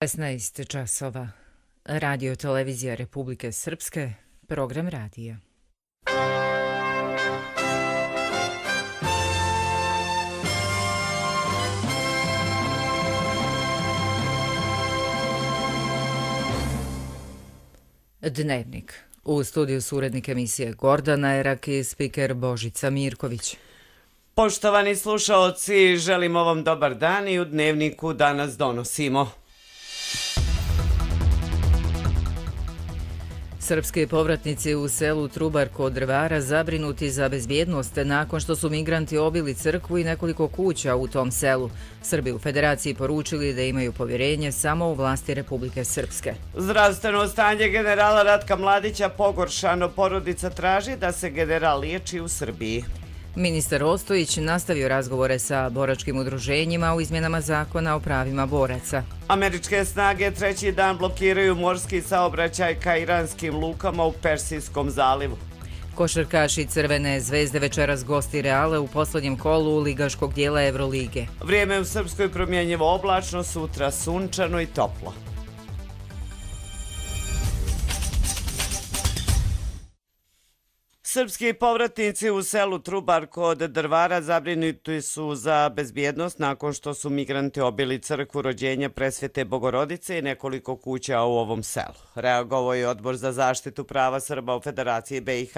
16 časova. Radio televizija Republike Srpske, program radija. Dnevnik. U studiju su urednik emisije Gordana Erak i spiker Božica Mirković. Poštovani slušaoci, želimo vam dobar dan i u Dnevniku danas donosimo. Srpski povratnici u selu Trubar kod Drvara zabrinuti za bezbjednost nakon što su migranti obili crkvu i nekoliko kuća u tom selu. Srbi u Federaciji poručili da imaju povjerenje samo u vlasti Republike Srpske. Zdravstveno stanje generala Ratka Mladića pogoršano, porodica traži da se general liječi u Srbiji. Ministar Ostojić nastavio razgovore sa boračkim udruženjima u izmjenama zakona o pravima boraca. Američke snage treći dan blokiraju morski saobraćaj ka iranskim lukama u Persijskom zalivu. Košarkaši Crvene zvezde večeras gosti Reale u posljednjem kolu ligaškog dijela Evrolige. Vrijeme u Srpskoj promjenjivo oblačno, sutra sunčano i toplo. Srpski povratnici u selu Trubar kod Drvara zabrinuti su za bezbjednost nakon što su migranti obili crkvu Rođenja Presvete Bogorodice i nekoliko kuća u ovom selu. Reagovao je Odbor za zaštitu prava Srba u Federaciji BiH.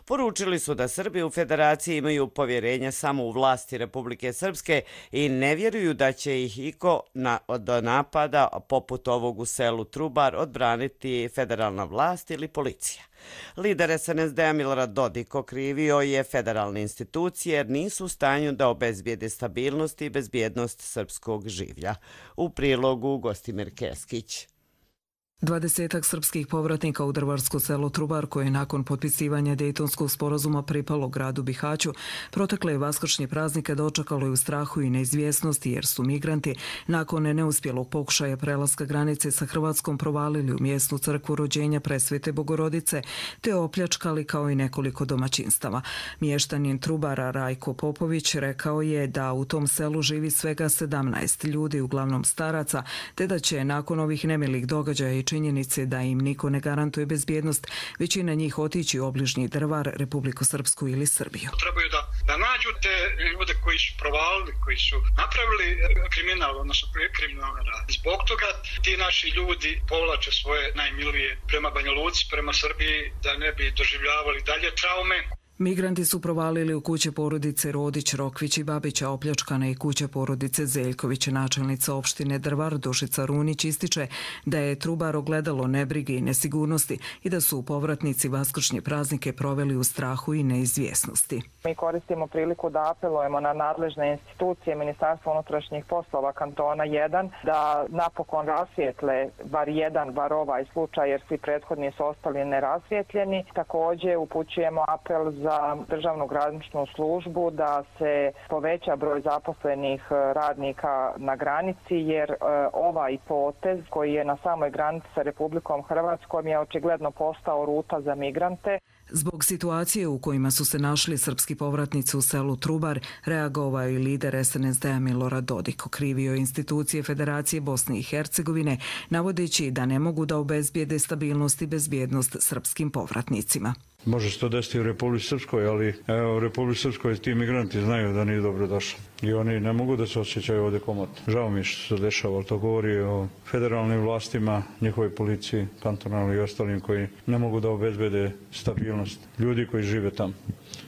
Poručili su da Srbi u Federaciji imaju povjerenje samo u vlasti Republike Srpske i ne vjeruju da će ih iko od napada poput ovog u selu Trubar odbraniti federalna vlast ili policija. Lider SNSD-a Milorad Dodik okrivio je federalne institucije jer nisu u stanju da obezbijede stabilnost i bezbjednost srpskog življa. U prilogu Gostimir Keskić. 20 srpskih povratnika u drvarsko selo Trubar, koje je nakon potpisivanja Dejtonskog sporazuma pripalo gradu Bihaću, protekle vaskršnje praznike dočekalo je u strahu i neizvjesnosti jer su migranti nakon neuspjelog pokušaja prelaska granice sa Hrvatskom provalili u mjesnu crkvu Rođenja Presvete Bogorodice te opljačkali kao i nekoliko domaćinstava. Mještanin Trubara Rajko Popović rekao je da u tom selu živi svega 17 ljudi, uglavnom staraca, te da će nakon ovih nemilih događaja i činjenice da im niko ne garantuje bezbjednost, većina njih otići u obližnji Drvar, Republiku Srpsku ili Srbiju. Trebaju da nađu te ljude koji su provalili, koji su napravili kriminal, odnosno kriminalne radnje. Zbog toga ti naši ljudi povlače svoje najmilije prema Banja Luci, prema Srbiji, da ne bi doživljavali dalje traume. Migranti su provalili u kuće porodice Rodić, Rokvić i Babića, opljačkana i kuća porodice Zeljković. Načelnica opštine Drvar Dušica Runić ističe da je Trubar ogledalo nebrige i nesigurnosti i da su povratnici vaskršnje praznike proveli u strahu i neizvjesnosti. Mi koristimo priliku da apelujemo na nadležne institucije Ministarstva unutrašnjih poslova kantona 1 da napokon rasvijetle bar ovaj slučaj jer svi prethodni su ostali nerazvjetljeni. Također upućujemo apel za državnu graničnu službu da se poveća broj zaposlenih radnika na granici jer ovaj potez koji je na samoj granici sa Republikom Hrvatskom je očigledno postao ruta za migrante. Zbog situacije u kojima su se našli srpski povratnici u selu Trubar, reagovao i lider SNSD-a Milorad Dodik. Okrivio institucije Federacije Bosne i Hercegovine, navodeći da ne mogu da obezbijede stabilnost i bezbjednost srpskim povratnicima. Može se to desiti u Republici Srpskoj, ali u Republici Srpskoj ti migranti znaju da nije dobro došli. I oni ne mogu da se osjećaju ovdje komotno. Žao mi je što se dešava, ali to govori o federalnim vlastima, njihovoj policiji, kantonalnoj i ostalim koji ne mogu da obezbede stabilnost ljudi koji žive tamo.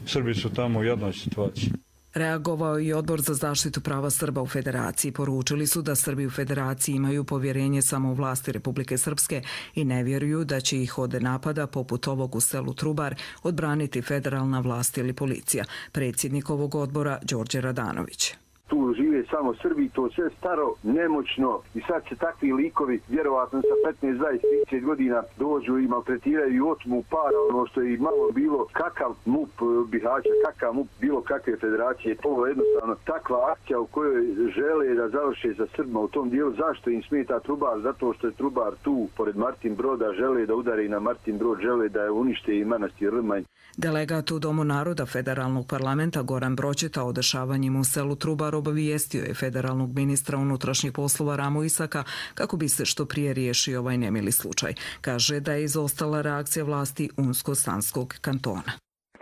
Srbi su tamo u jednoj situaciji. Reagovao i Odbor za zaštitu prava Srba u Federaciji. Poručili su da Srbi u Federaciji imaju povjerenje samo u vlasti Republike Srpske i ne vjeruju da će ih od napada poput ovog u selu Trubar odbraniti federalna vlast ili policija. Predsjednik ovog odbora Đorđe Radanović. Tu žive samo Srbi, to sve staro, nemoćno i sad se takvi likovi, vjerovatno sa 15, 20, 30 godina dođu i maltretiraju i otmu para, ono što je i malo bilo kakav MUP Bihaća, kakav MUP bilo kakve federacije. Ovo je jednostavno takva akcija u kojoj žele da završe sa Srbima u tom dijelu. Zašto im smeta Trubar? Zato što je Trubar tu, pored Martin Broda, žele da udare i na Martin Brod, žele da je unište i manastir Rmanj. Delegat u Domu naroda Federalnog parlamenta Goran Broćeta o dešavanjima u selu Trubar obavijestio obavijestio je federalnog ministra unutrašnjih poslova Ramu Isaka kako bi se što prije riješio ovaj nemili slučaj. Kaže da je izostala reakcija vlasti Unsko-Sanskog kantona.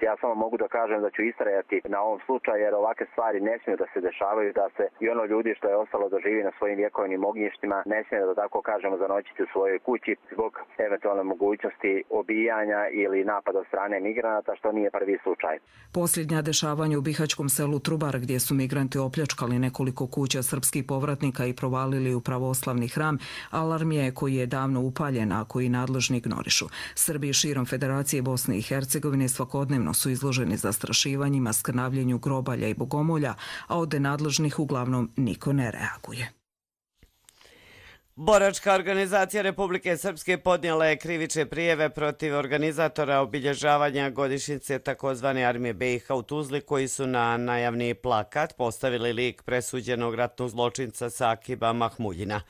Ja samo mogu da kažem da ću istrajati na ovom slučaju jer ovakve stvari ne smiju da se dešavaju, da se i ono ljudi što je ostalo da živi na svojim vjekovnim ognjištima ne smije da tako kažemo zanoćiti u svojoj kući zbog eventualne mogućnosti obijanja ili napada od strane migranata, što nije prvi slučaj. Posljednja dešavanja u bihaćkom selu Trubar gdje su migranti opljačkali nekoliko kuća srpskih povratnika i provalili u pravoslavni hram, alarm je koji je davno upaljen, a koji nadležni ignorišu. Srbi širom Federacije Bosne i Hercegovine svakodnevno su izloženi zastrašivanjima, skrnavljenju grobalja i bogomolja, a od nadležnih uglavnom niko ne reaguje. Boračka organizacija Republike Srpske podnijela je krivične prijeve protiv organizatora obilježavanja godišnjice takozvane Armije BiH u Tuzli, koji su na najavni plakat postavili lik presuđenog ratnog zločinca Sakiba Mahmuljina.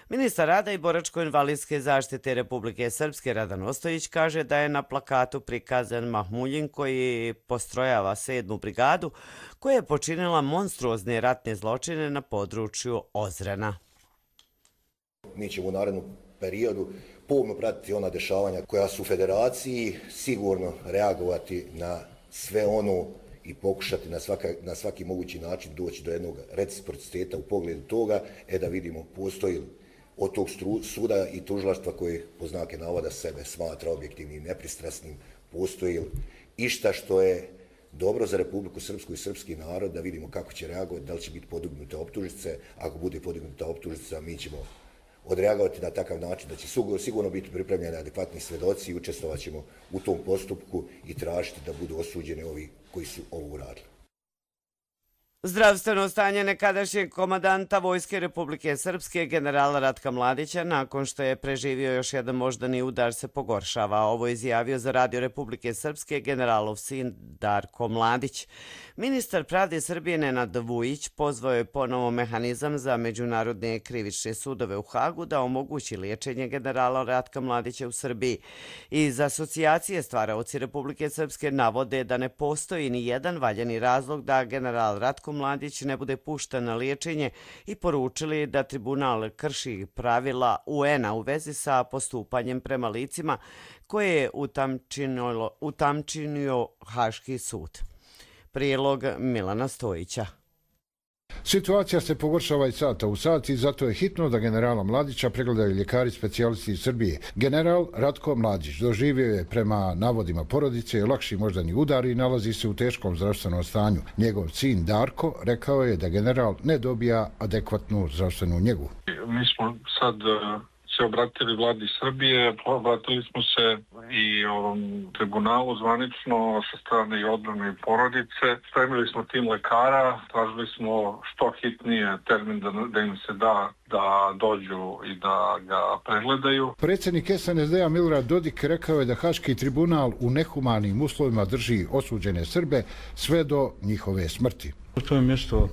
Ministar rada i boračko-invalidske zaštite Republike Srpske Radan Ostojić kaže da je na plakatu prikazan Mahmuljin koji postrojava 7. brigadu koja je počinila monstruozne ratne zločine na području Ozrena. Mi ćemo u narednom periodu pomno pratiti ona dešavanja koja su u federaciji, sigurno reagovati na sve ono i pokušati na svaki mogući način doći do jednog reciprociteta u pogledu toga, da vidimo postoji li od tog suda i tužilaštva koje po znake navoda sebe smatra objektivnim i nepristrasnim, postoji li išta što je dobro za Republiku Srpsku i srpski narod, da vidimo kako će reagovati, da li će biti podignute optužnice. Ako bude podignuta optužnica, mi ćemo odreagovati na takav način da će sigurno biti pripremljeni adekvatni svedoci i učestvovat ćemo u tom postupku i tražiti da budu osuđeni ovi koji su ovo uradili. Zdravstveno stanje nekadašnjeg komandanta Vojske Republike Srpske generala Ratka Mladića nakon što je preživio još jedan moždani udar se pogoršava. Ovo je izjavio za Radio Republike Srpske generalov sin Darko Mladić. Ministar pravde Srbije Nenad Vujić pozvao je ponovo mehanizam za međunarodne krivične sudove u Hagu da omogući liječenje generala Ratka Mladića u Srbiji. Iz asocijacije stvaraoci Republike Srpske navode da ne postoji ni jedan valjani razlog da general Ratko Mladić ne bude pušten na liječenje i poručili da tribunal krši pravila UN-a u vezi sa postupanjem prema licima koje je utamčinio Haški sud. Prilog Milana Stojića. Situacija se pogoršava iz sata u sat i zato je hitno da generala Mladića pregledaju ljekari specijalisti iz Srbije. General Ratko Mladić doživio je prema navodima porodice lakši moždani udar i nalazi se u teškom zdravstvenom stanju. Njegov sin Darko rekao je da general ne dobija adekvatnu zdravstvenu njegu. Mi smo sad se obratili vladi Srbije, obratili smo se i ovom tribunalu zvanično sa strane i odbrane i porodice. Spremili smo tim lekara, tražili smo što hitnije termin da im se da dođu i da ga pregledaju. Predsjednik SNSD-a Milorad Dodik rekao je da Haški tribunal u nehumanim uslovima drži osuđene Srbe sve do njihove smrti. To je mjesto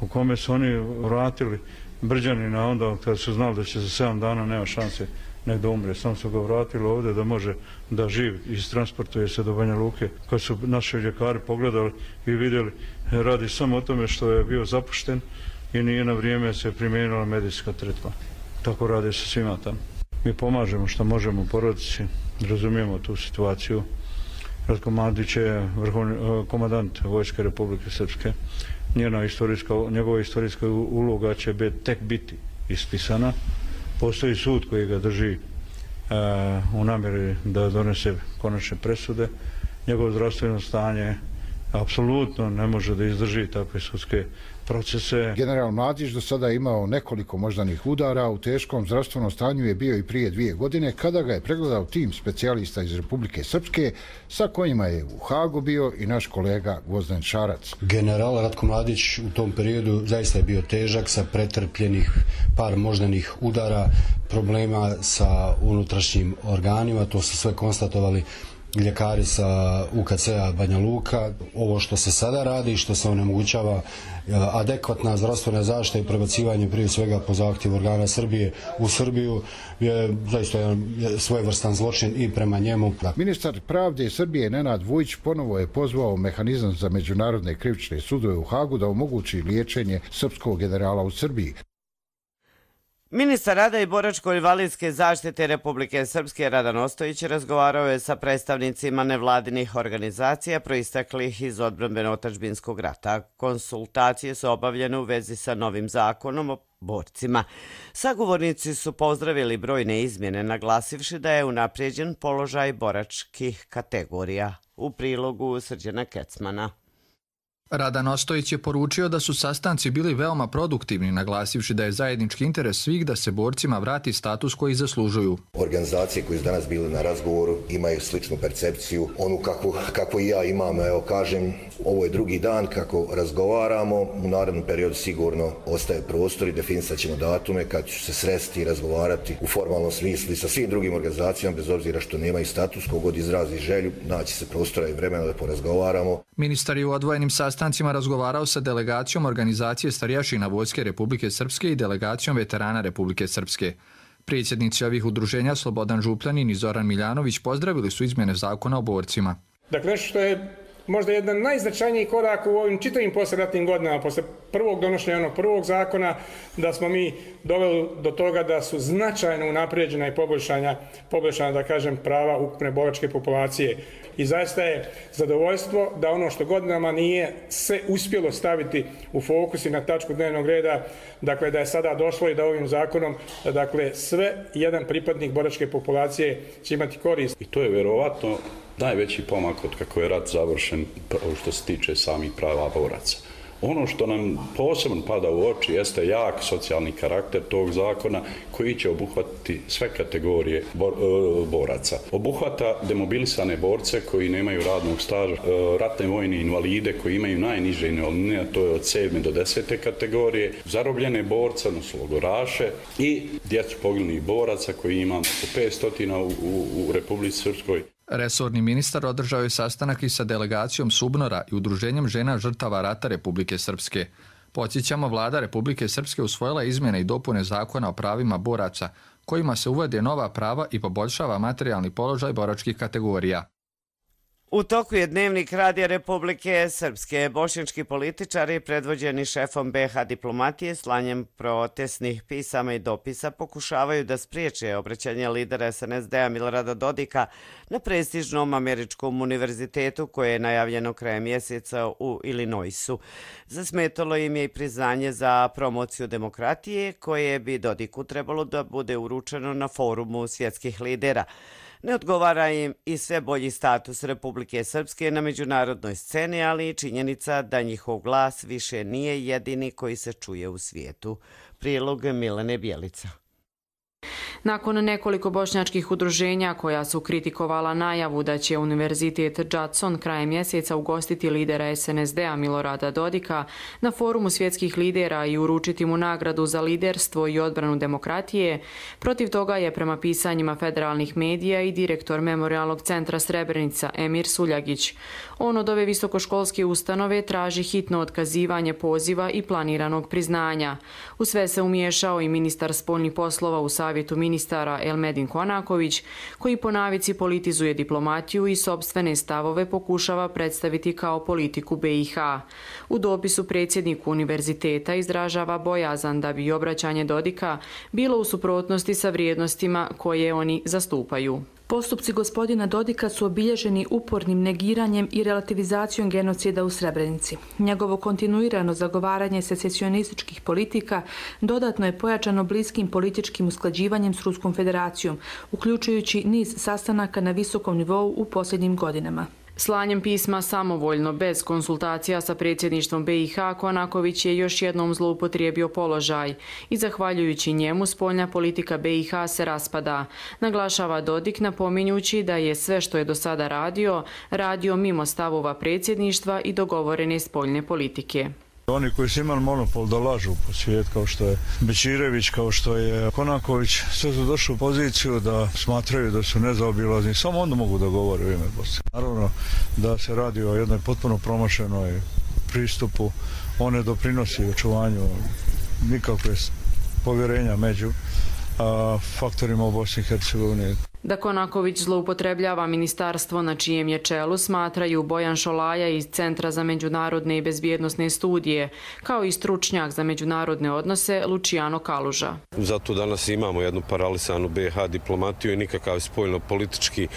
u kome su oni vratili Brđanina onda kada su znali da će za 7 dana nema šanse negdje umre. Sam su ga vratili ovdje da može da živi i transportuje se do Banja Luke. Kad su naši ljekari pogledali i vidjeli, radi samo o tome što je bio zapušten i nije na vrijeme se primijenila medijska tretma. Tako rade se svima tamo. Mi pomažemo što možemo u porodici, razumijemo tu situaciju. Ratko Mladić je komandant Vojske Republike Srpske. Njegova istorijska uloga će tek biti ispisana. Postoji sud koji ga drži u namjeri da donese konačne presude. Njegovo zdravstveno stanje apsolutno ne može da izdrži takve sudske procese. General Mladić do sada je imao nekoliko moždanih udara, u teškom zdravstvenom stanju je bio i prije 2 godine kada ga je pregledao tim specijalista iz Republike Srpske sa kojima je u Hagu bio i naš kolega Gvozden Šarac. General Ratko Mladić u tom periodu zaista je bio težak sa pretrpljenih par moždanih udara, problema sa unutrašnjim organima, to su sve konstatovali ljekari sa UKC-a Banja Luka. Ovo što se sada radi, što se onemogućava adekvatna zdravstvena zaštita i prebacivanje prije svega po zahtjevu organa Srbije u Srbiju je zaista svojevrstan zločin i prema njemu. Ministar pravde Srbije Nenad Vujić ponovo je pozvao mehanizam za međunarodne krivične sudove u Hagu da omogući liječenje srpskog generala u Srbiji. Ministar rada i boračko-invalidske zaštite Republike Srpske Radan Ostojić razgovarao je sa predstavnicima nevladinih organizacija proisteklih iz odbrambeno-otadžbinskog rata. Konsultacije su obavljene u vezi sa novim zakonom o borcima. Sagovornici su pozdravili brojne izmjene, naglasivši da je unaprijeđen položaj boračkih kategorija. U prilogu Srđana Kecmana. Radan Ostojić je poručio da su sastanci bili veoma produktivni, naglasivši da je zajednički interes svih da se borcima vrati status koji zaslužuju. Organizacije koje su danas bile na razgovoru imaju sličnu percepciju, onu kako i ja imam. Evo kažem, ovo je drugi dan kako razgovaramo, u narednom periodu sigurno ostaje prostor i definisat ćemo datume kad ću se sresti i razgovarati u formalnom smislu i sa svim drugim organizacijama, bez obzira što nemaju status, kogod izrazi želju, naći se prostora i vremena da porazgovaramo. Ministar je u odvojenim sastancima razgovarao sa delegacijom organizacije starješina Vojske Republike Srpske i delegacijom veterana Republike Srpske. Predsjednici ovih udruženja Slobodan Župljanin i Zoran Miljanović pozdravili su izmjene zakona o borcima. Dakle, nešto što je možda jedan najznačajnijih koraka u ovim čitavim poslijeratnim godinama, posle prvog donošenja onog prvog zakona, da smo mi doveli do toga da su značajno unaprijeđena i poboljšana, da kažem, prava ukupne boračke populacije. I zaista je zadovoljstvo da ono što godinama nije se uspjelo staviti u fokus i na tačku dnevnog reda, dakle da je sada došlo i da ovim zakonom, dakle sve jedan pripadnik boračke populacije će imati korist. I to je vjerovatno najveći pomak od kako je rat završen što se tiče samih prava boraca. Ono što nam posebno pada u oči jeste jak socijalni karakter tog zakona koji će obuhvatiti sve kategorije boraca. Obuhvata demobilisane borce koji nemaju radnog staža, ratne vojne invalide koji imaju najniže invalidnine, a to je od 7. do 10. kategorije, zarobljene borce, odnosno logoraše i djecu poginulih boraca koji imamo oko 500 u Republici Srpskoj. Resorni ministar održao je sastanak i sa delegacijom Subnora i Udruženjem žena žrtava rata Republike Srpske. Podsjećamo, vlada Republike Srpske usvojila izmjene i dopune zakona o pravima boraca, kojima se uvode nova prava i poboljšava materijalni položaj boračkih kategorija. U toku je dnevnik Radija Republike Srpske. Bošnjački političari predvođeni šefom BiH diplomatije slanjem protestnih pisama i dopisa pokušavaju da spriječe obraćanje lidera SNSD-a Milorada Dodika na prestižnom američkom univerzitetu koje je najavljeno krajem mjeseca u Illinoisu. Zasmetalo im je i priznanje za promociju demokratije koje bi Dodiku trebalo da bude uručeno na forumu svjetskih lidera. Ne odgovara im i sve bolji status Republike Srpske na međunarodnoj sceni, ali i činjenica da njihov glas više nije jedini koji se čuje u svijetu. Prilog Milene Bjelica. Nakon nekoliko bošnjačkih udruženja koja su kritikovala najavu da će Univerzitet Judson krajem mjeseca ugostiti lidera SNSD-a Milorada Dodika na forumu svjetskih lidera i uručiti mu nagradu za liderstvo i odbranu demokratije, protiv toga je prema pisanjima federalnih medija i direktor Memorijalnog centra Srebrenica Emir Suljagić. On od ove visokoškolske ustanove traži hitno otkazivanje poziva i planiranog priznanja. U sve se umiješao i ministar spoljnih poslova u savjetu ministara Elmedin Konaković, koji po navici politizuje diplomatiju i sopstvene stavove pokušava predstaviti kao politiku BiH. U dopisu predsjedniku univerziteta izražava bojazan da bi obraćanje Dodika bilo u suprotnosti sa vrijednostima koje oni zastupaju. Postupci gospodina Dodika su obilježeni upornim negiranjem i relativizacijom genocida u Srebrenici. Njegovo kontinuirano zagovaranje secesionističkih politika dodatno je pojačano bliskim političkim usklađivanjem s Ruskom federacijom, uključujući niz sastanaka na visokom nivou u posljednjim godinama. Slanjem pisma samovoljno, bez konsultacija sa predsjedništvom BiH, Konaković je još jednom zloupotrijebio položaj i zahvaljujući njemu spoljna politika BiH se raspada, naglašava Dodik napominjući da je sve što je do sada radio mimo stavova predsjedništva i dogovorene spoljne politike. Oni koji su imali monopol da lažu po svijet, kao što je Bećirević, kao što je Konaković, sve su došli u poziciju da smatraju da su nezaobilazni. Samo onda mogu da govore u ime Bosne. Naravno da se radi o jednoj potpuno promašenoj pristupu. On ne doprinosi očuvanju nikakve povjerenja među faktorima u Bosni i Hercegovini. Da Konaković zloupotrebljava ministarstvo na čijem je čelu smatraju Bojan Šolaja iz Centra za međunarodne i bezbjednosne studije, kao i stručnjak za međunarodne odnose Luciano Kaluža. Zato danas imamo jednu paralisanu BiH diplomatiju i nikakav spoljno-politički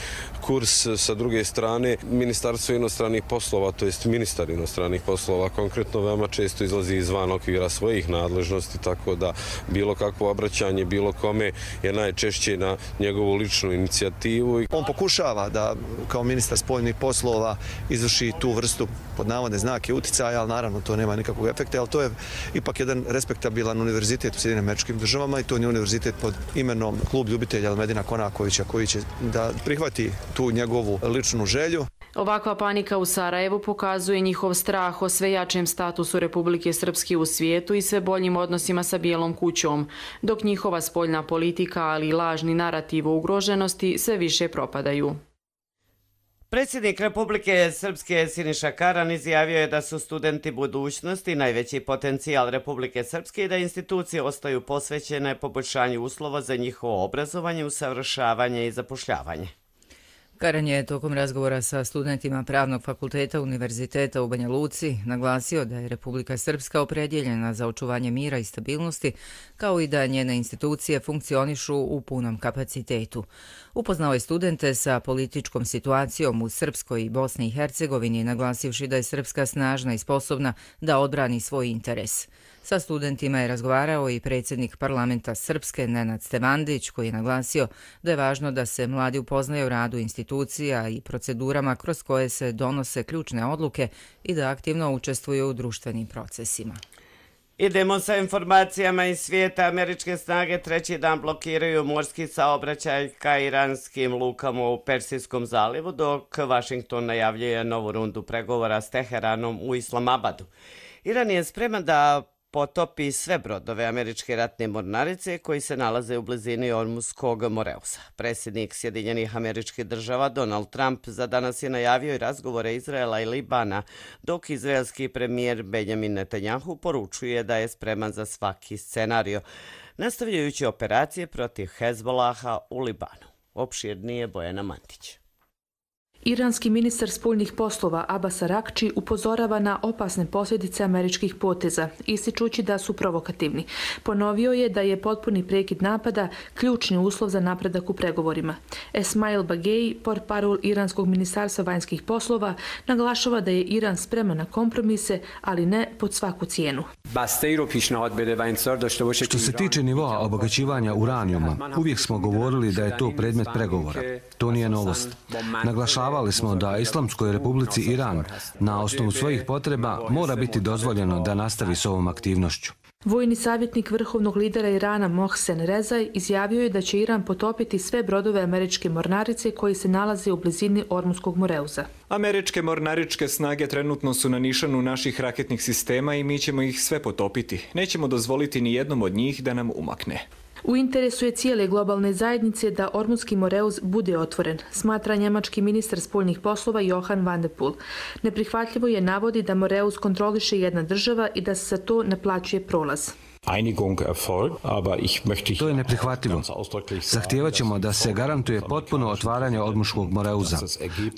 kurs. Sa druge strane, Ministarstvo inostranih poslova, to jest ministar inostranih poslova, konkretno veoma često izlazi izvan okvira svojih nadležnosti, tako da bilo kakvo obraćanje bilo kome je najčešće na njegovu ličnu inicijativu. On pokušava da kao ministar spoljnih poslova izvrši tu vrstu pod navodne znake uticaja, ali naravno to nema nikakvog efekta, ali to je ipak jedan respektabilan univerzitet u Sjedinjenim Američkim Državama i to je univerzitet pod imenom Klub ljubitelja Elmedina Konakovića koji će da prihvati tu njegovu ličnu želju. Ovakva panika u Sarajevu pokazuje njihov strah o sve jačem statusu Republike Srpske u svijetu i sve boljim odnosima sa Bijelom kućom, dok njihova spoljna politika, ali i lažni narativ o ugroženosti sve više propadaju. Predsjednik Republike Srpske Siniša Karan izjavio je da su studenti budućnosti najveći potencijal Republike Srpske i da institucije ostaju posvećene poboljšanju uslova za njihovo obrazovanje, usavršavanje i zapošljavanje. Karan je tokom razgovora sa studentima Pravnog fakulteta Univerziteta u Banja Luci naglasio da je Republika Srpska opredjeljena za očuvanje mira i stabilnosti, kao i da njene institucije funkcionišu u punom kapacitetu. Upoznao je studente sa političkom situacijom u Srpskoj i Bosni i Hercegovini, naglasivši da je Srpska snažna i sposobna da odbrani svoj interes. Sa studentima je razgovarao i predsjednik parlamenta Srpske Nenad Stevandić, koji je naglasio da je važno da se mladi upoznaju o radu institucija i procedurama kroz koje se donose ključne odluke i da aktivno učestvuju u društvenim procesima. Idemo sa informacijama iz svijeta. Američke snage treći dan blokiraju morski saobraćaj ka iranskim lukama u Persijskom zalivu, dok Washington najavljuje novu rundu pregovora s Teheranom u Islamabadu. Iran je spreman da potopi sve brodove američke ratne mornarice koji se nalaze u blizini Ormuzskog Moreusa. Predsjednik Sjedinjenih Američkih Država Donald Trump za danas je najavio i razgovore Izraela i Libana, dok izraelski premijer Benjamin Netanjahu poručuje da je spreman za svaki scenario, nastavljajući operacije protiv Hezbolaha u Libanu. Opširnije Bojana Mantić. Iranski ministar spoljnih poslova Abbas Arakči upozorava na opasne posljedice američkih poteza, ističući da su provokativni. Ponovio je da je potpuni prekid napada ključni uslov za napredak u pregovorima. Esmail Bagei, portparol Iranskog ministarstva vanjskih poslova, naglašava da je Iran spreman na kompromise, ali ne pod svaku cijenu. Što se tiče nivoa obogaćivanja uranijuma, uvijek smo govorili da je to predmet pregovora. To nije novost. Naglašavali smo da Islamskoj Republici Iran na osnovu svojih potreba mora biti dozvoljeno da nastavi s ovom aktivnošću. Vojni savjetnik vrhovnog lidera Irana Mohsen Rezaj izjavio je da će Iran potopiti sve brodove američke mornarice koji se nalaze u blizini Ormuzskog Moreuza. Američke mornaričke snage trenutno su na nišanu naših raketnih sistema i mi ćemo ih sve potopiti. Nećemo dozvoliti ni jednom od njih da nam umakne. U interesu je cijele globalne zajednice da Ormuzski Moreuz bude otvoren, smatra njemački ministar spoljnih poslova Johann van der Poel. Neprihvatljivo je navodi da Moreuz kontroliše jedna država i da se za to naplaćuje prolaz. To je neprihvatljivo. Zahtijevat ćemo da se garantuje potpuno otvaranje Ormuzskog Moreuza.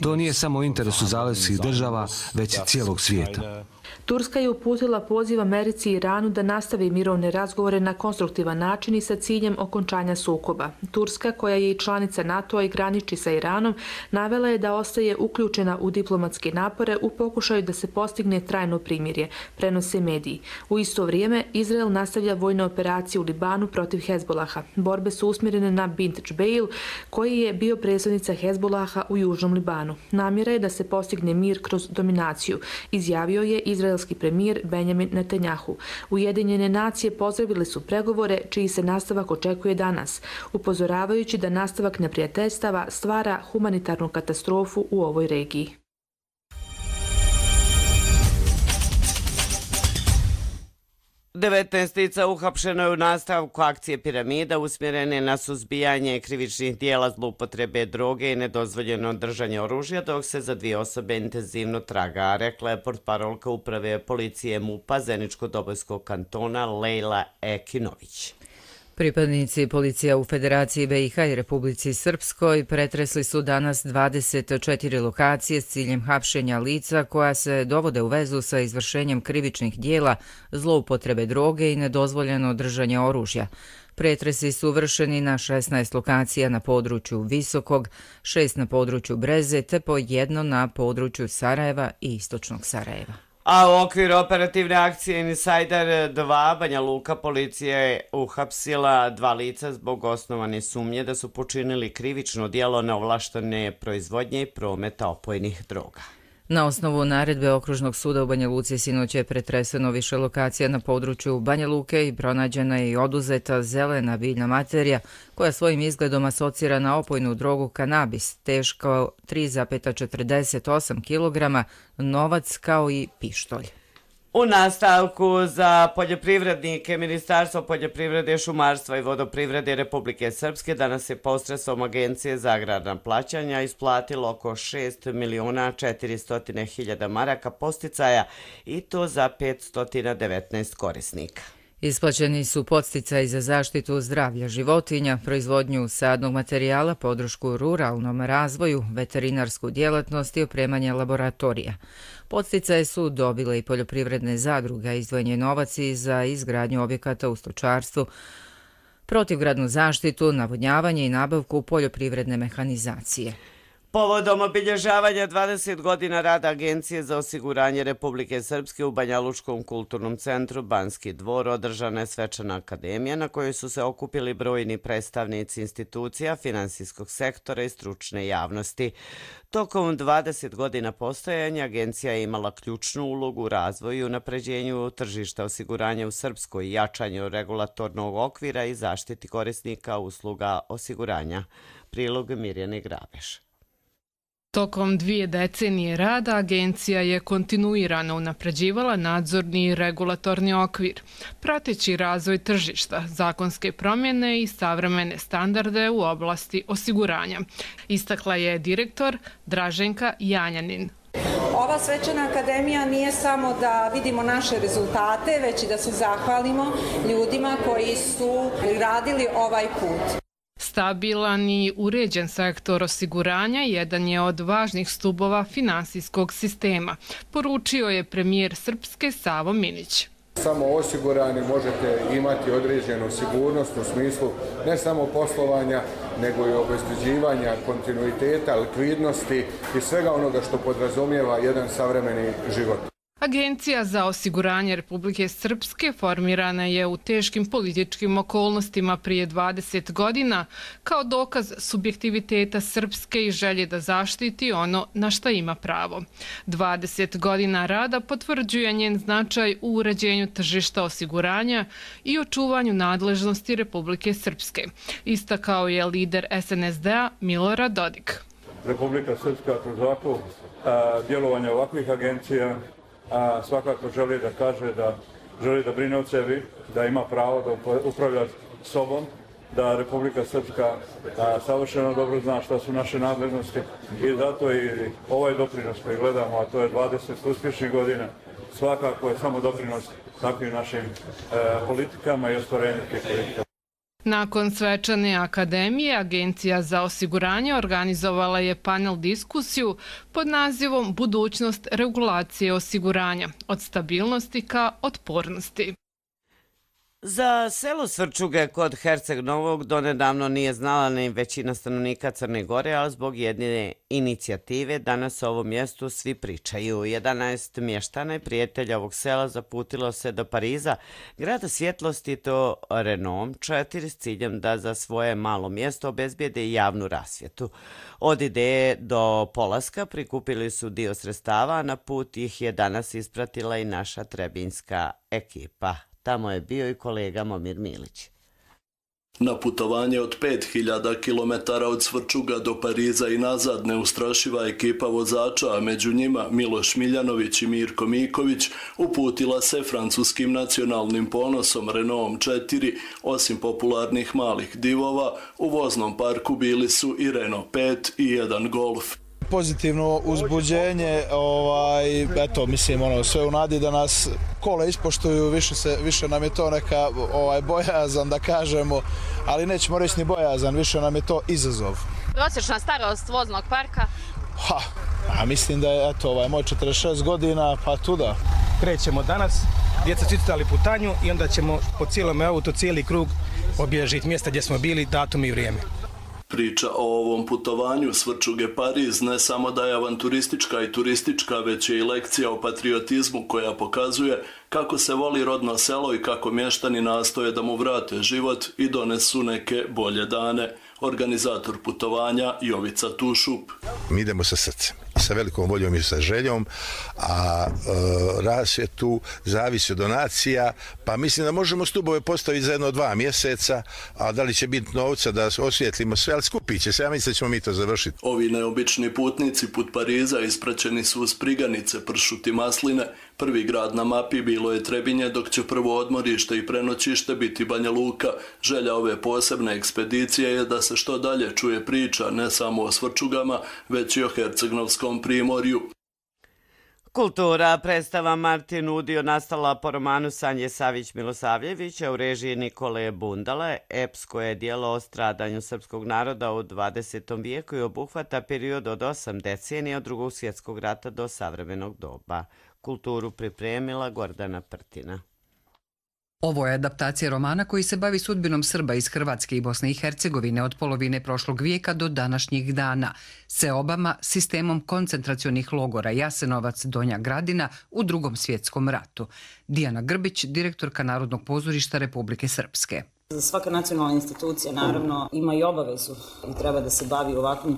To nije samo u interesu zalivskih država, već cijelog svijeta. Turska je uputila poziv Americi i Iranu da nastavi mirovne razgovore na konstruktivan način i sa ciljem okončanja sukoba. Turska, koja je i članica NATO-a i graniči sa Iranom, navela je da ostaje uključena u diplomatske napore u pokušaju da se postigne trajno primirje, prenose mediji. U isto vrijeme, Izrael nastavlja vojne operacije u Libanu protiv Hezbolaha. Borbe su usmjerene na Bint Džbeil, koji je bio predsjednica Hezbolaha u Južnom Libanu. Namjera je da se postigne mir kroz dominaciju, izjavio je izraelski premijer Benjamin Netanjahu. Ujedinjene nacije pozdravile su pregovore čiji se nastavak očekuje danas, upozoravajući da nastavak neprijateljstava stvara humanitarnu katastrofu u ovoj regiji. 19 lica uhapšeno je u nastavku akcije Piramida usmjerene na suzbijanje krivičnih dijela zloupotrebe droge i nedozvoljeno držanje oružja, dok se za 2 osobe intenzivno traga, rekla je portparolka uprave policije MUP-a Zeničko-Dobojskog kantona Lejla Ekinović. Pripadnici policija u Federaciji BiH i Republici Srpskoj pretresli su danas 24 lokacije s ciljem hapšenja lica koja se dovode u vezu sa izvršenjem krivičnih dijela, zloupotrebe droge i nedozvoljeno držanje oružja. Pretresi su vršeni na 16 lokacija na području Visokog, 6 na području Breze te po 1 na području Sarajeva i Istočnog Sarajeva. A u okviru operativne akcije Insider 2 Banja Luka policija je uhapsila 2 lica zbog osnovane sumnje da su počinili krivično djelo neovlaštene proizvodnje i prometa opojnih droga. Na osnovu naredbe Okružnog suda u Banja Luci sinoć je pretreseno više lokacija na području Banja Luke i pronađena je i oduzeta zelena biljna materija koja svojim izgledom asocira na opojnu drogu kanabis, teško 3,48 kg, novac kao i pištolj. U nastavku za poljoprivrednike Ministarstvo poljoprivrede, šumarstva i vodoprivrede Republike Srpske danas je posredstvom Agencije za agrarna plaćanja isplatilo oko 6.400.000 maraka podsticaja i to za 519 korisnika. Isplaćeni su podsticaji za zaštitu zdravlja životinja, proizvodnju sadnog materijala, podršku ruralnom razvoju, veterinarsku djelatnost i opremanje laboratorija. Podsticaje su dobile i poljoprivredne zadruge, izdvojen je novac i za izgradnju objekata u stočarstvu, protivgradnu zaštitu, navodnjavanje i nabavku poljoprivredne mehanizacije. Povodom obilježavanja 20 godina rada Agencije za osiguranje Republike Srpske u Banjalučkom kulturnom centru Banski dvor održana je svečana akademija na kojoj su se okupili brojni predstavnici institucija, finansijskog sektora i stručne javnosti. Tokom 20 godina postojanja agencija je imala ključnu ulogu u razvoju i unapređenju tržišta osiguranja u Srpskoj i jačanju regulatornog okvira i zaštiti korisnika usluga osiguranja. Prilog Mirjane Grabeš. Tokom 2 decenije rada agencija je kontinuirano unapređivala nadzorni i regulatorni okvir, prateći razvoj tržišta, zakonske promjene i savremene standarde u oblasti osiguranja, istakla je direktor Draženka Janjanin. Ova svečana akademija nije samo da vidimo naše rezultate, već i da se zahvalimo ljudima koji su radili ovaj put. Stabilan i uređen sektor osiguranja jedan je od važnih stubova finansijskog sistema, poručio je premijer Srpske Savo Minić. Samo osigurani možete imati određenu sigurnost u smislu ne samo poslovanja, nego i obezbeđivanja kontinuiteta, likvidnosti i svega onoga što podrazumijeva jedan savremeni život. Agencija za osiguranje Republike Srpske formirana je u teškim političkim okolnostima prije 20 godina kao dokaz subjektiviteta Srpske i želje da zaštiti ono na šta ima pravo. 20 godina rada potvrđuje njen značaj u uređenju tržišta osiguranja i očuvanju nadležnosti Republike Srpske, istakao je lider SNSD-a Milorad Dodik. Republika Srpska kroz ovako djelovanje ovakvih agencija svakako želi da kaže da želi da brine o sebi, da ima pravo da upravlja sobom, da Republika Srpska savršeno dobro zna šta su naše nadležnosti i zato i ovaj doprinos koji gledamo, a to je 20 uspješnih godina, svakako je samo doprinos takvim našim politikama i ostvarenju tih politika. Nakon svečane akademije, Agencija za osiguranje organizovala je panel diskusiju pod nazivom Budućnost regulacije osiguranja, od stabilnosti ka otpornosti. Za selo Svrčuge kod Herceg Novog donedavno nije znala ni većina stanovnika Crne Gore, ali zbog jedne inicijative danas o ovom mjestu svi pričaju. 11 mještana i prijatelja ovog sela zaputilo se do Pariza, grada svjetlosti, to Renom 4, s ciljem da za svoje malo mjesto obezbijede javnu rasvjetu. Od ideje do polaska prikupili su dio sredstava, a na put ih je danas ispratila i naša trebinjska ekipa. Tamo je bio i kolega Momir Milić. Na putovanje od 5000 km od Svrčuga do Pariza i nazad neustrašiva ekipa vozača, a među njima Miloš Miljanović i Mirko Miković, uputila se francuskim nacionalnim ponosom Renaultom 4. Osim popularnih malih divova, u voznom parku bili su i Renault 5 i jedan Golf. Pozitivno uzbuđenje, eto, mislim, sve u nadi da nas kola ispoštuju, više nam je to neka bojazan, da kažemo, ali nećemo reći ni bojazan, više nam je to izazov. Prosječna starost voznog parka? Mislim da je, eto, moj 46 godina, pa tuda. Krećemo danas, djeca su icitali putanju i onda ćemo po cijelom autu, cijeli krug obilježiti mjesta gdje smo bili, datum i vrijeme. Priča o ovom putovanju Svrčuge-Pariz ne samo da je avanturistička i turistička, već je i lekcija o patriotizmu koja pokazuje kako se voli rodno selo i kako mještani nastoje da mu vrate život i donesu neke bolje dane. Organizator putovanja Jovica Tušup. Mi idemo sa srcem, sa velikom voljom i sa željom, a rasvjetu zavisi od donacija, pa mislim da možemo stubove postaviti za 1-2 mjeseca, a da li će biti novca da osvijetlimo sve, ali skupit će se, ja mislim da ćemo mi to završiti. Ovi neobični putnici put Pariza ispraćeni su uz Priganice, Pršut i Masline. Prvi grad na mapi bilo je Trebinje, dok će prvo odmorište i prenoćište biti Banja Luka. Želja ove posebne ekspedicije je da se što dalje čuje priča ne samo o Svrčugama, već i o Hercegnovskom primorju. Kultura, predstava Martin Udio nastala po romanu Sanje Savić-Milosavljevića u režiji Nikole Bundale. Epsko je djelo o stradanju srpskog naroda u 20. vijeku i obuhvata period od 8 decenija od Drugog svjetskog rata do savremenog doba. Kulturu pripremila Gordana Prtina. Ovo je adaptacija romana koji se bavi sudbinom Srba iz Hrvatske i Bosne i Hercegovine od polovine prošlog vijeka do današnjih dana, seobama, sistemom koncentracionih logora Jasenovac, Donja Gradina u Drugom svjetskom ratu. Dijana Grbić, direktorka Narodnog pozorišta Republike Srpske. Svaka nacionalna institucija naravno ima i obavezu i treba da se bavi ovakvim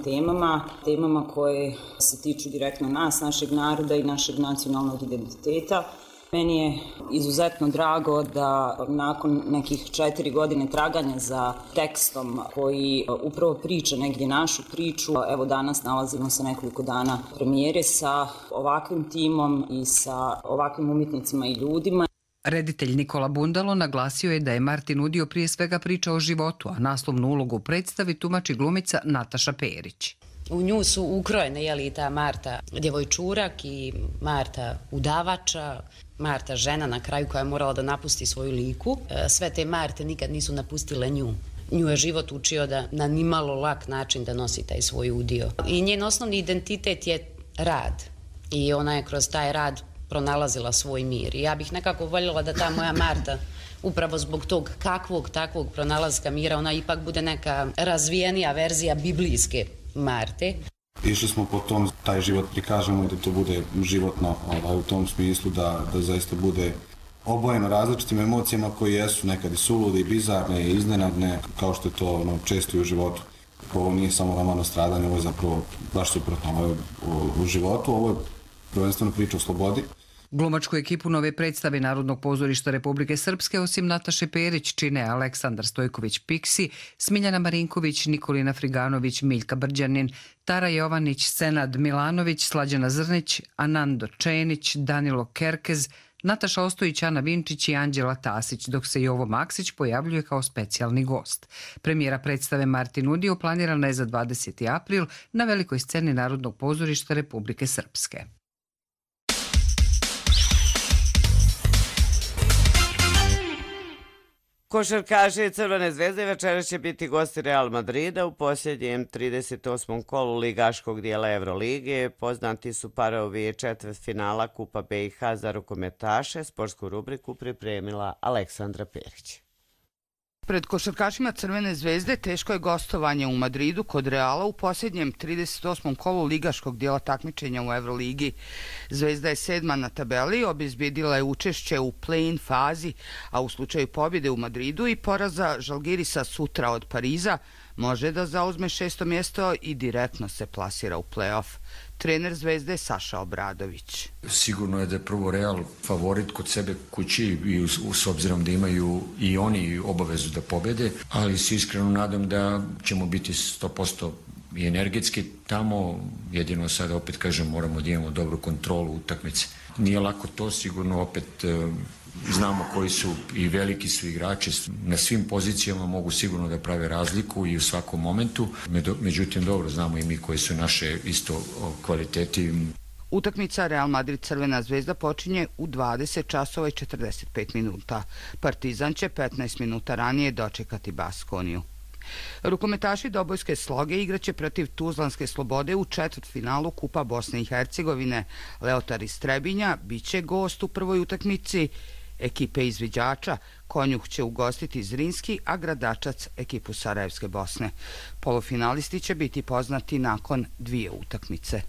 temama koje se tiču direktno nas, našeg naroda i našeg nacionalnog identiteta. Meni je izuzetno drago da nakon nekih 4 godine traganja za tekstom koji upravo priča negdje našu priču, evo danas nalazimo se nekoliko dana premijere sa ovakvim timom i sa ovakvim umjetnicima i ljudima. Reditelj Nikola Bundalo naglasio je da je Martin Udio prije svega priča o životu, a naslovnu ulogu u predstavi tumači glumica Nataša Perić. U nju su ukrojene i ta Marta djevojčurak i Marta udavača, Marta žena na kraju koja je morala da napusti svoju liku. Sve te Marte nikad nisu napustile nju. Nju je život učio da na nimalo lak način da nosi taj svoj udio. I njen osnovni identitet je rad. I ona je kroz taj rad pronalazila svoj mir. I ja bih nekako voljela da ta moja Marta, upravo zbog tog kakvog takvog pronalaska mira, ona ipak bude neka razvijenija verzija biblijske Marte. Išli smo po tom, taj život prikažemo da to bude životno u tom smislu, da zaista bude obojeno različitim emocijama koje jesu nekad i sulude i bizarne i iznenadne, kao što je to često i u životu. Ovo nije samo roman o stradanju, ovo je zapravo baš suprotno u životu, ovo je prvenstveno priča o slobodi. Glumačku ekipu nove predstave Narodnog pozorišta Republike Srpske osim Nataše Perić čine Aleksandar Stojković-Piksi, Smiljana Marinković, Nikolina Friganović, Miljka Brđanin, Tara Jovanić, Senad Milanović, Slađana Zrnić, Anando Čenić, Danilo Kerkez, Nataša Ostojić, Ana Vinčić i Anđela Tasić, dok se Jovo Maksić pojavljuje kao specijalni gost. Premijera predstave Martin Udio planirana je za 20. april na velikoj sceni Narodnog pozorišta Republike Srpske. Košarkaši Crvene zvezde večeras će biti gosti Real Madrida u posljednjem 38. kolu ligaškog dijela Evrolige. Poznati su parovi četvrtfinala Kupa BiH za rukometaše. Sportsku rubriku pripremila Aleksandra Perić. Pred košarkašima Crvene zvezde teško je gostovanje u Madridu kod Reala u posljednjem 38. kolu ligaškog dijela takmičenja u Evroligi. Zvezda je 7. na tabeli, obezbjedila je učešće u play-in fazi, a u slučaju pobjede u Madridu i poraza Žalgirisa sutra od Pariza može da zauzme 6. mjesto i direktno se plasira u play-off. Trener Zvezde Saša Obradović. Sigurno je da je prvo Real favorit kod sebe kući i s obzirom da imaju i oni obavezu da pobede, ali se iskreno nadam da ćemo biti 100% i energetski tamo, jedino sada opet kažem moramo da imamo dobru kontrolu utakmice. Nije lako to, sigurno opet znamo koji su i veliki su igrači, na svim pozicijama mogu sigurno da prave razliku i u svakom momentu, međutim dobro znamo i mi koji su naše isto kvaliteti. Utakmica Real Madrid Crvena zvezda počinje u 20 časova i 45 minuta. Partizan će 15 minuta ranije dočekati Baskoniju. Rukometaši Dobojske Sloge igraće protiv Tuzlanske Slobode u četvrtfinalu Kupa Bosne i Hercegovine. Leotar iz Trebinja biće gost u prvoj utakmici ekipe izviđača. Konjuh će ugostiti Zrinski, a Gradačac ekipu Sarajevske Bosne. Polufinalisti će biti poznati nakon 2 utakmice.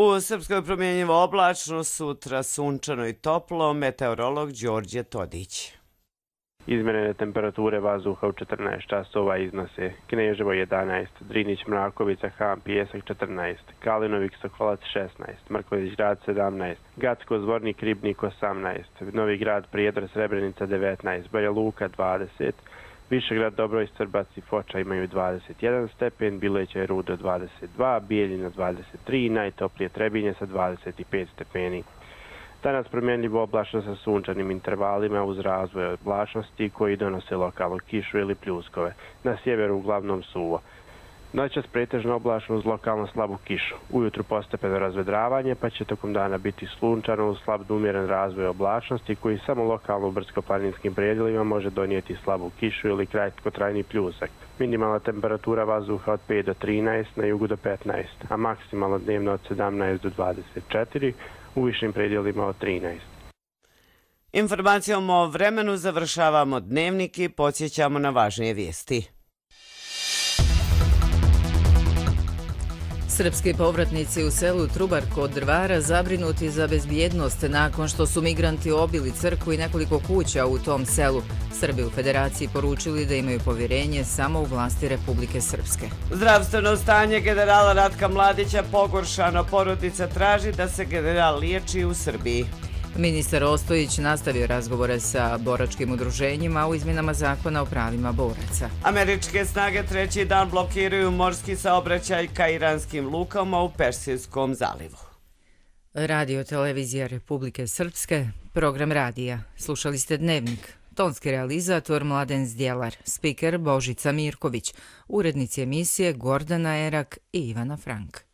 U Srpskoj promjenjivo oblačno, sutra sunčano i toplo, meteorolog Đorđe Todić. Izmjerene temperature vazduha u 14 časova iznose Kneževo 11, Drinić, Mrakovica, Ham, Pijesak 14, Kalinovik, Sokolac 16, Mrković Grad 17, Gacko, Zvornik, Ribnik 18, Novi Grad, Prijedor, Srebrenica 19, Banja Luka 20, Višegrad, Dobroj, Srbac i Foča imaju 21 stepen, Bileća i Rudo 22, Bijeljina 23, najtoplije Trebinje sa 25 stepeni. Danas promjenljivo oblačno sa sunčanim intervalima uz razvoj oblačnosti koji donose lokalnu kišu ili pljuskove. Na sjeveru uglavnom suvo. Noćas pretežno oblačno uz lokalno slabu kišu. Ujutru postepeno razvedravanje pa će tokom dana biti sunčano uz slab do umjeren razvoj oblačnosti koji samo lokalno u brdsko-planinskim predjelima može donijeti slabu kišu ili kratkotrajni pljusak. Minimalna temperatura vazduha od 5 do 13, na jugu do 15, a maksimalno dnevno od 17 do 24, u višim predjelima od 13. Informacijom o vremenu završavamo dnevnik i podsjećamo na važnije vijesti. Srpski povratnici u selu Trubar kod Drvara zabrinuti za bezbjednost nakon što su migranti obili crkvu i nekoliko kuća u tom selu. Srbi u Federaciji poručili da imaju povjerenje samo u vlasti Republike Srpske. Zdravstveno stanje generala Ratka Mladića pogoršano, porodica traži da se general liječi u Srbiji. Ministar Ostojić nastavio razgovore sa boračkim udruženjima u izmjenama zakona o pravima boraca. Američke snage treći dan blokiraju morski saobraćaj ka iranskim lukama u Persijskom zalivu. Radio televizija Republike Srpske, program radija. Slušali ste Dnevnik. Tonski realizator Mladen Zdjelar, spiker Božica Mirković, urednici emisije Gordana Erak i Ivana Frank.